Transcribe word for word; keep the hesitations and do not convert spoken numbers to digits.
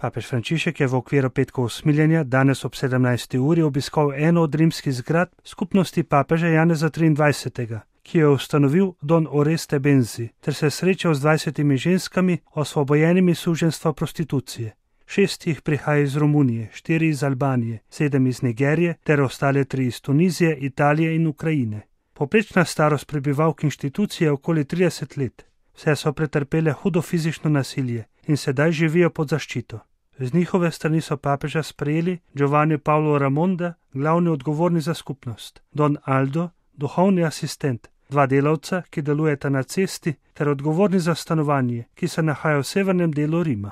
Papež Frančišek je v okviru petkov usmiljenja danes ob sedemnajsti uri obiskal eno od rimskih zgradb skupnosti papeža Janeza triindvajsetega, ki jo je ustanovil Don Oreste Benzi, ter se srečal z dvajsetimi ženskami osvobojenimi suženjstva prostitucije. Šest jih prihaja iz Romunije, štiri iz Albanije, sedem iz Nigerije ter ostale tri iz Tunizije, Italije in Ukrajine. Povprečna starost prebivalk inštitucije je okoli trideset let. Vse so pretrpele hudo fizično nasilje in sedaj živijo pod zaščito. Z njihove strani so papeža sprejeli Giovanni Paolo Ramonda, glavni odgovorni za skupnost, Don Aldo, duhovni asistent, dva delavca, ki delujeta na cesti, ter odgovorni za stanovanje, ki se nahaja v severnem delu Rima.